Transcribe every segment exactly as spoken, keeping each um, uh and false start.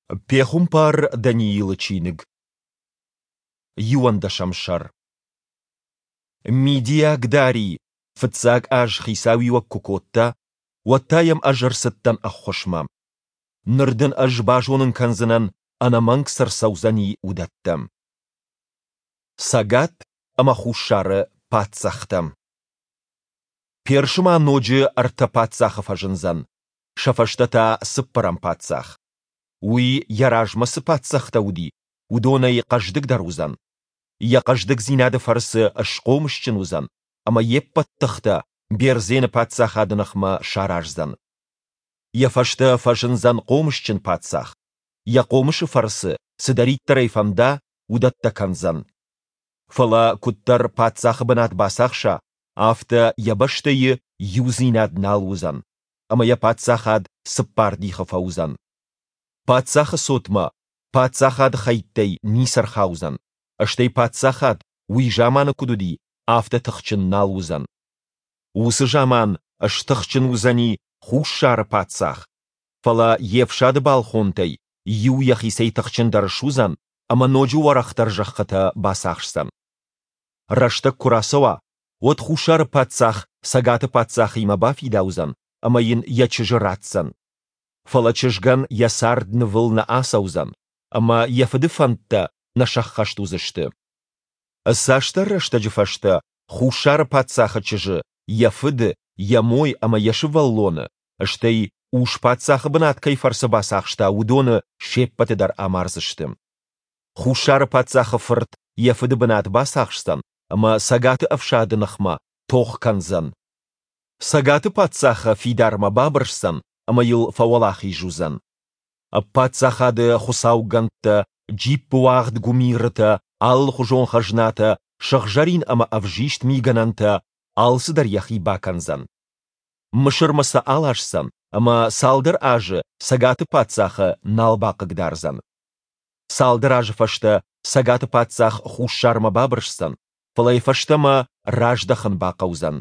Пехуымпар Даниилы чиныг, иуӕндӕсӕм сӕр. Мидиаг Дарий фыццаг аз хицауиуӕг куы кодта, уӕд та йӕм ӕз ӕрцыдтӕн ӕххуысмӕ. Ныр дын ӕз базонын кӕндзынӕн, ӕнӕмӕнг цы рцӕудзӕни, уыдӕттӕ. Цӕгат ӕмӕ Хуссары паддзӕхтӕ. Персы ма ноджы ӕртӕ паддзахы фӕзындзӕн, сӕ фӕстӕ та цыппӕрӕм паддзах. Уый, йӕ размӕ цы паддзӕхтӕ уыди, уыдонӕй хъӕздыгдӕр уыдзӕн. Йӕ хъӕздыгдзинады фӕрцы схъомысджын уыдзӕн ӕмӕ йе ппӕт тыхтӕ Бердзены паддзахады ныхмӕ сараздзӕн. Йӕ фӕстӕ фӕзындзӕн хъомысджын паддзах. Йӕ хъомысы фӕрцы, цыдӕриддӕр ӕй фӕнда, уыдӕттӕ кӕндзӕн. Фӕлӕ куыддӕр паддзахы бынат бацахса, афтӕ йӕ бӕстӕйы иудзинад нал уыдзӕн, ӕмӕ йӕ паддзахад цыппар дихы фӕуыдзӕн. Паддзахы цотмӕ паддзахады хӕйттӕй ницы рхаудзӕн, стӕй паддзахад, уый заманы куыд уыди, афтӕ тыхджын нал уыдзӕн. Уыцы заман стыхджын уыдзӕни Хуссары паддзах, фӕлӕ йе фсады балхонтӕй иу йӕхицӕй тыхджындӕр суыдзӕн ӕмӕ ноджы уӕрӕхдӕр зӕххытӕ бацахсдзӕн. Рӕстӕг куы рацӕуа, уӕд Хуссары паддзах Цӕгаты паддзахимӕ бафидаудзӕн ӕмӕ йын йӕ чызджы ратдзӕн. Фӕлӕ чызгӕн йӕ цард нывыл нӕ ацӕудзӕн, ӕмӕ йӕ фыды фӕндтӕ нӕ сӕххӕст уыдзысты. Цасдӕр рӕстӕджы фӕстӕ Хуссары паддзахы чызджы, йӕ фыды, йӕ мой ӕмӕ йӕ сывӕллоны, стӕй, ус-паддзахы бынат кӕй фӕрцы бацахста, уыдоны се ппӕты дӕр амардзысты. Хуссары паддзахы фырт йӕ фыды бынат бацахсдзӕн ӕмӕ Цӕгаты ӕфсады ныхмӕ тох кӕндзӕн. Цӕгаты паддзахы фидармӕ бабырсдзӕн ӕмӕ йыл фӕуӕлахиз уыдзӕн. Паддзахады хуыцаугӕндтӕ, джиппыуагъд гуымирытӕ, алыхуызон хӕзнатӕ, сыгъзӕрин ӕмӕ ӕвзист мигӕнӕнтӕ – алцыдӕр йӕхи бакӕндзӕн. Мысырмӕ сӕ аласдзӕн ӕмӕ цалдӕр азы Цӕгаты паддзахы нал бахъыгдардзӕн. Цалдӕр азы фӕстӕ Цӕгаты паддзах Хуссармӕ бабырсдзӕн, фӕлӕ йӕ фӕстӕмӕ раздӕхын бахъӕудзӕн.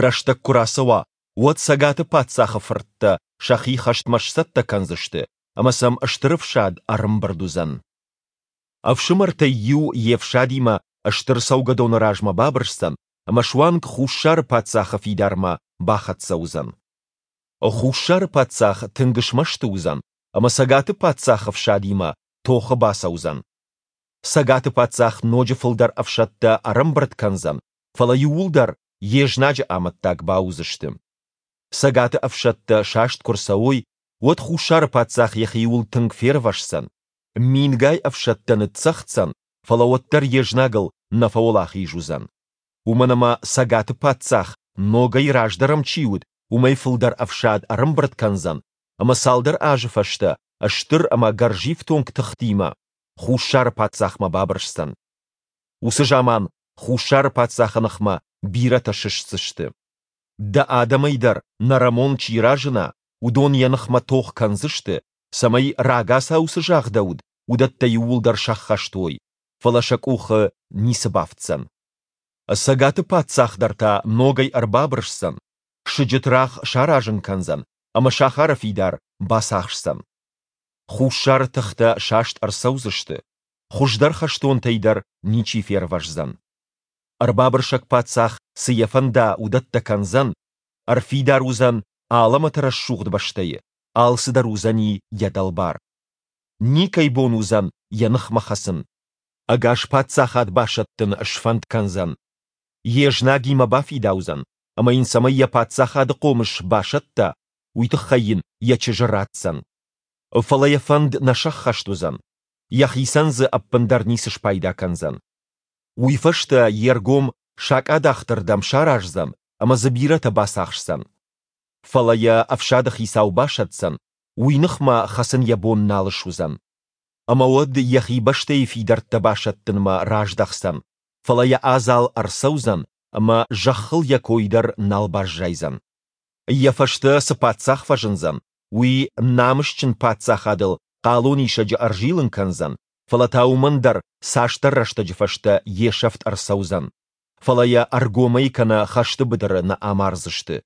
Рӕстӕг куы рацӕуа, уӕд Цӕгаты паддзахы фырттӕ сӕхи хӕстмӕ сцӕттӕ кӕндзысты, ӕмӕ сӕм стыр ӕфсад ӕрӕмбырд уыдзӕн. Ӕфсымӕртӕй иу йе фсадимӕ стыр цӕугӕдоны размӕ бабырсдзӕн ӕмӕ суанг Хуссары паддзахы фидармӕ бахӕццӕ уыдзӕн. Хуссары паддзах тынг смӕсты уыдзӕн ӕмӕ Цӕгаты паддзахы фсадимӕ тохы бацӕудзӕн. Цӕгаты паддзах ноджы фылдӕр ӕфсӕдтӕ ӕрӕмбырд кӕндзӕн, фӕлӕ иууылдӕр йе знаджы амӕттаг бауыдзысты. Цӕгаты ӕфсӕдтӕ саст куы рцӕуой, уӕд Хуссары паддзах йӕхиуыл тынг фервӕсдзӕн, мингай ӕфсӕдтӕ ныццӕгъддзӕн, фӕлӕ уӕддӕр йе знагыл нӕ фӕуӕлахиз уыдзӕн. Уымӕн ӕмӕ Цӕгаты паддзах, ногӕй раздӕр ӕм чи уыд, уымӕй фылдӕр ӕфсад ӕрӕмбырд кӕндзӕн, ӕмӕ цалдӕр азы фӕстӕ стыр ӕмӕ гӕрзифтонг тыхтимӕ Хуссары паддзахмӕ бабырсдзӕн. Уыцы заман Хуссары паддзахы ныхмӕ бирӕтӕ сыстдзысты. Дӕ адӕмӕй дӕр нӕрӕмон чи разына, уыдон йӕ ныхмӕ тох кӕндзысты, цӕмӕй рагацау цы загъдӕуыд, уыдӕттӕ иууылдӕр сӕххӕст уой, фӕлӕ сӕ къухы ницы бафтдзӕн. Цӕгаты паддзах дӕр та ногӕй ӕрбабырсдзӕн, сыджытрагъ саразын кӕндзӕн ӕмӕ сахары фидар бацахсдзӕн. Хуссары тыхтӕ саст ӕрцӕудзысты, хуыздӕр хӕстонтӕй дӕр ничи фервӕздзӕн. Ӕрбабырсӕг паддзах, цы йӕ фӕнда, уыдӕттӕ кӕндзӕн, ӕрфидар уыдзӕн алӕмӕты рӕсугъд бӕстӕйы, алцыдӕр уыдзӕни йӕ дӕлбар. Никӕй бон уыдзӕн йӕ ныхмӕ хӕцын. Ӕгас паддзахад басӕттын сфӕнд кӕндзӕн. Йе знагимӕ бафидаудзӕн, ӕмӕ йын цӕмӕй йӕ паддзахады хъомыс басӕтта, уый тыххӕй йын йӕ чызджы ратдзӕн. Фӕлӕ йӕ фӕнд нӕ сӕххӕст уыдзӕн, йӕхицӕн дзы ӕппындӕр ницы спайда кӕндзӕн. Уый фӕстӕ йе ргом сакъадӕхты рдӕм сараздзӕн ӕмӕ дзы бирӕтӕ бацахсдзӕн. Фӕлӕ йӕ ӕфсады хицау басӕтдзӕн, уый ныхмӕ хӕцын йӕ бон нал суыдзӕн. Ӕмӕ уӕд йӕхи бӕстӕйы фидӕрттӕ басӕттынмӕ раздӕхдзӕн, фӕлӕ йӕ адзал ӕрцӕудзӕн ӕмӕ зӕххыл йӕ кой дӕр нал баззайдзӕн. Йӕ фӕстӕ цы паддзах фӕзындзӕн, уый намысджын паддзахадыл хъалонисӕджы ӕрзилын кӕндзӕн, фӕлӕ та уымӕн дӕр цасдӕр рӕстӕджы фӕстӕ йе сӕфт ӕрцӕудзӕн, фӕлӕ йӕ ӕргомӕй кӕнӕ хӕсты быдыры нӕ амардзысты.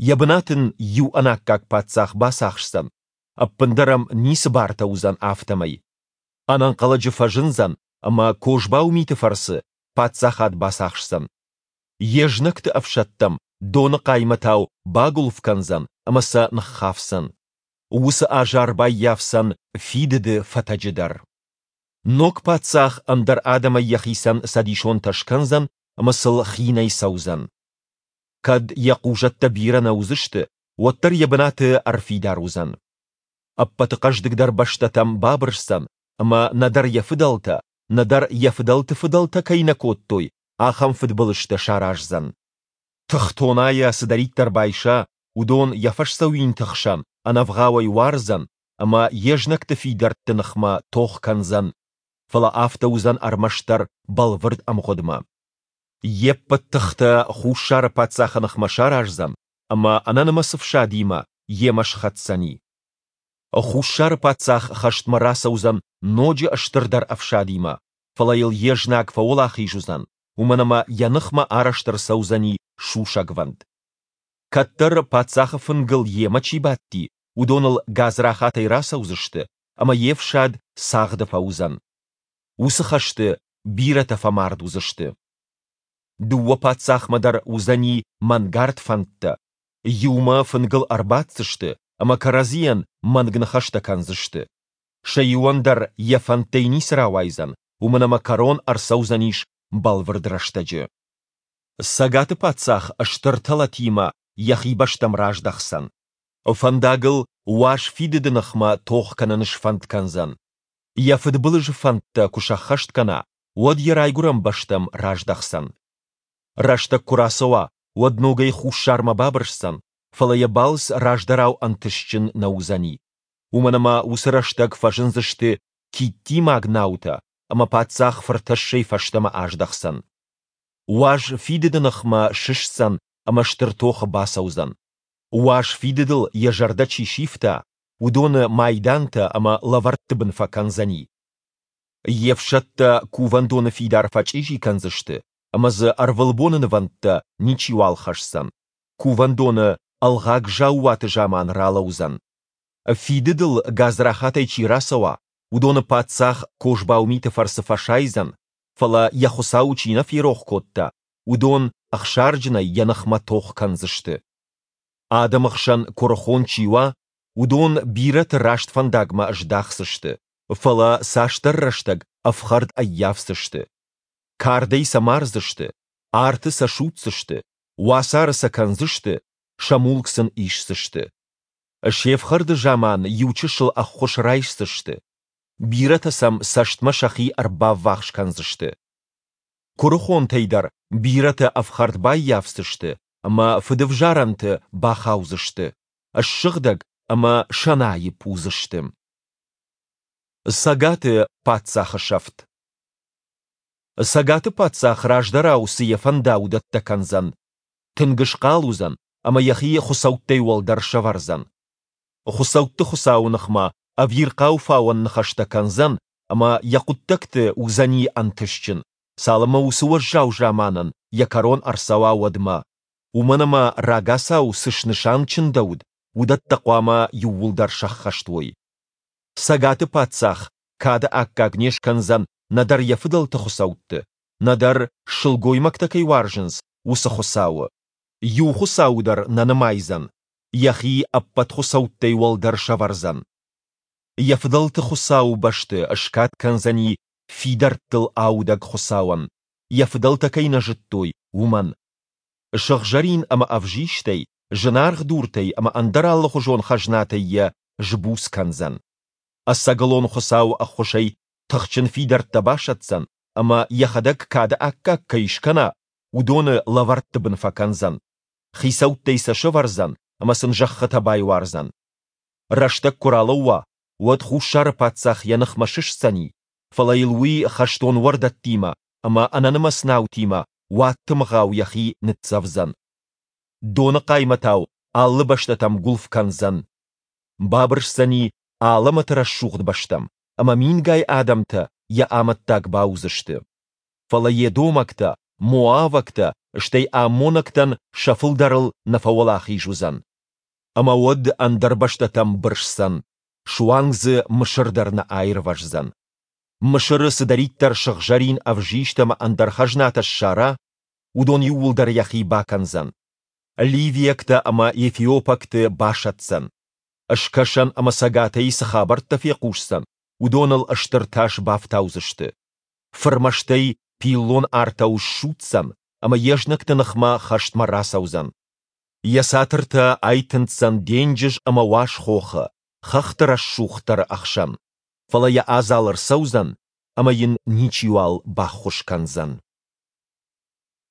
Йӕ бынат ын иу ӕнаккаг паддзах бацахсдзӕн, ӕппындӕр ӕм ницы бартӕ уыдзӕн, афтӕмӕй. Ӕнӕнхъӕлӕджы фӕзындзӕн ӕмӕ козбау миты фӕрцы паддзахад бацахсдзӕн. Йе знӕгты ӕфсӕдтӕм доны хъаймӕтау багуылф кӕндзӕн ӕмӕ сӕ ныххафдзӕн. Уыцы азар баййафдзӕн фидыды фӕтӕджы дӕр. Ног паддзах ӕндӕр адӕмӕй йӕхицӕн цӕдисонтӕ скӕндзӕн ӕмӕ сыл хинӕй цӕудзӕн. Кӕд йӕ хъузӕттӕ бирӕ нӕ уыдзысты, уӕддӕр йӕ бынаты ӕрфидар уыдзӕн. Ӕппӕты хъӕздыгдӕр бӕстӕтӕм бабырсдзӕн ӕмӕ нӕдӕр йӕ фыдӕлтӕ, нӕдӕр йӕ фыдӕлты фыдӕлтӕ кӕй нӕ кодтой, ахӕм фыдбылызтӕ сараздзӕн. Тыхтонайӕ цыдӕриддӕр байса, уыдон йӕ фӕсдзӕуинты хсӕн ӕнӕвгъауӕй уардзӕн ӕмӕ йе знӕгты фидӕртты ныхмӕ тох кӕндзӕн, фӕлӕ афтӕ уыдзӕн ӕрмӕстдӕр бӕлвырд ӕмгъуыдмӕ. Йе ппӕт тыхтӕ хуссары паддзахы ныхмӕ сараздзӕн ӕмӕ ӕнӕнымӕц ӕфсадимӕ йемӕ схӕцдзӕни. Хуссары паддзах хӕстмӕ рацӕудзӕн ноджы стырдӕр ӕфсадимӕ, фӕлӕ йыл йе знаг фӕуӕлахиз уыдзӕн, уымӕн ӕмӕ йӕ ныхмӕ арӕзт ӕрцӕудзӕни сусӕгвӕнд. Кӕддӕр паддзахы фынгыл йемӕ чи бадти, уыдон ыл гадзрахатӕй рацӕудзысты, ӕмӕ йе фсад цагъды фӕуыдзӕн. Уыцы хӕсты бирӕтӕ фӕмард уыдзысты. Дыууӕ паддзахмӕ дӕр уыдзӕни мӕнгард фӕндтӕ. Иумӕ фынгыл ӕрбаддзысты ӕмӕ кӕрӕдзийӕн мӕнг ныхӕстӕ кӕндзысты. Сӕ иуӕн дӕр йӕ фӕндтӕй ницы рауайдзӕн, уымӕн ӕмӕ кӕрон ӕрцӕудзӕнис бӕлвырд рӕстӕджы. Цӕгаты паддзах стыр тӕлӕтимӕ йӕхи бӕстӕм раздӕхдзӕн. Фӕндагыл уаз фидыды ныхмӕ тох кӕнын сфӕнд кӕндзӕн. Йӕ фыдбылызы фӕндтӕ куы сӕххӕст кӕна, уӕд йӕ райгуырӕн бӕстӕм раздӕхдзӕн. Рӕстӕг куы рацӕуа, уӕд ногӕй хуссармӕ бабырсдзӕн, фӕлӕ йӕ балц раздӕрау ӕнтыстджын нӕ уыдзӕни. Уымӕн ӕмӕ уыцы рӕстӕг фӕзындзысты киттимаг наутӕ, ӕмӕ паддзах фыртӕссӕй фӕстӕмӕ аздӕхдзӕн. Уаз фидыды ныхмӕ сыстдзӕн ӕмӕ стыр тохы бацӕудзӕн. Уаз фидыдыл йӕ зӕрдӕ чи сивта, уыдоны майдантӕ ӕмӕ лӕвӕртты бын фӕкӕндзӕни. Йе фсӕдтӕ кувӕндоны фидар фӕчъизи кӕндзысты, ӕмӕ дзы ӕрвылбоны нывӕндтӕ ничиуал хӕсдзӕн, кувӕндоны ӕлгъаг заууаты заман ралӕудзӕн. Фидыдыл гадзрахатӕй чи рацӕуа, уыдоны паддзах козбау миты фӕрцы фӕсайдзӕн, фӕлӕ йӕ Хуыцауы чи нӕ ферох кодта, уыдон ӕхсарджынӕй йӕ ныхмӕ тох кӕндзысты. Адӕмы хсӕн куырыхон чи уа, уыдон бирӕты раст фӕндагмӕ здахдзысты, фӕлӕ цасдӕр рӕстӕг ӕфхӕрд ӕййафдзысты. Кардӕй сӕ мардзысты, арты сӕ судздзысты, уацары сӕ кӕндзысты, сӕ мулк сын исдзысты. Се фхӕрды заман иу чысыл ӕххуыс райсдзысты. Бирӕтӕ сӕм цӕстмӕ сӕхи ӕрбаввахс кӕндзысты. Куырыхонтӕй дӕр бирӕтӕ ӕфхӕрд баййафдзысты ӕмӕ фыдӕвзарӕнты бахаудзысты, ссыгъдӕг ӕмӕ сӕнаипп уыдзысты. Цӕгаты паддзахы сӕфт. Цӕгаты паддзах раздӕрау цы йӕ фӕнда, уыдӕттӕ кӕндзӕн. Тынг схъал уыдзӕн ӕмӕ йӕхи хуыцӕуттӕй уӕлдӕр сӕвӕрдзӕн. Хуыцӕутты Хуыцауы ныхмӕ ӕвирхъау фауӕн ныхӕстӕ кӕндзӕн ӕмӕ йӕ хъуыддӕгты уыдзӕни ӕнтыстджын, цалынмӕ уыцы уӕззау заманӕн йӕ кӕрон ӕрцӕуа, уӕдмӕ. Уымӕн ӕмӕ рагацау цы снысан чындӕуыд, уыдӕттӕ хъуамӕ иууылдӕр сӕххӕст уой. Цӕгаты паддзах кады аккаг не скӕндзӕн нӕдӕр йӕ фыдӕлты хуыцӕутты, нӕдӕр, сылгоймӕгтӕ кӕй уарзынц, уыцы Хуыцауы. Иу хуыцауы дӕр нӕ нымайдзӕн, йӕхи ӕппӕт хуыцӕуттӕй уӕлдӕр сӕвӕрдзӕн. Йӕ фыдӕлты Хуыцауы бӕсты скад кӕндзӕни фидӕрттыл аудӕг Хуыцауӕн, йӕ фыдӕлтӕ кӕй нӕ зыдтой, уымӕн. Сыгъзӕрин ӕмӕ ӕвзистӕй, зынаргъ дуртӕй ӕмӕ ӕндӕр алыхуызон хӕзнатӕй йӕ сбуц кӕндзӕн. Ӕцӕгӕлон Хуыцауы ӕххуысӕй тыхджын фидӕрттӕ басӕтдзӕн ӕмӕ йӕхӕдӕг кады аккаг кӕй скӕна, уыдоны лӕвӕртты бын фӕкӕндзӕн. Хицӕуттӕй сӕ сӕвӕрдзӕн ӕмӕ сын зӕххытӕ байуардзӕн. Рӕстӕг куы ралӕууа, уӕд хуссары паддзах йӕ ныхмӕ сыстдзӕни, фӕлӕ йыл уый хӕстон уӕрдӕттимӕ ӕмӕ ӕнӕнымӕц наутимӕ уадтымыгъау йӕхи ныццӕвдзӕн. Доны хъаймӕтау алы бӕстӕтӕм гуылф кӕндзӕн. Бабырсдзӕни алӕмӕты рӕсугъд бӕстӕм, ӕмӕ мингай адӕмтӕ йӕ амӕттаг бауыдзысты. Фӕлӕ едомӕгтӕ, моавӕгтӕ, стӕй аммонӕгтӕн сӕ фылдӕрыл нӕ фӕуӕлахиз уыдзӕн. Ӕмӕ уӕд ӕндӕр бӕстӕтӕм бырсдзӕн. Суанг дзы Мысыр дӕр нӕ аирвӕздзӕн. Мысыры цыдӕриддӕр сыгъзӕрин, ӕвзист ӕмӕ ӕндӕр хӕзнатӕ ссара, уыдон иууылдӕр йӕхи бакӕндзӕн. Ливиӕгтӕ ӕмӕ ефиопӕгты басӕтдзӕн. Скӕсӕн ӕмӕ цӕгатӕй цы хабӕрттӕ фехъусдзӕн, уыдон ыл стыр тас бафтаудзысты. Фырмӕстӕй пиллон артау ссудздзӕн ӕмӕ йе знӕгты ныхмӕ хӕстмӕ рацӕудзӕн. Йӕ цатыртӕ айтындздзӕн денджыз ӕмӕ уаз хохы, хӕхты рӕсугъддӕры ӕхсӕн, фӕлӕ йӕ адзал ӕрцӕудзӕн, ӕмӕ йын ничиуал баххуыс кӕндзӕн.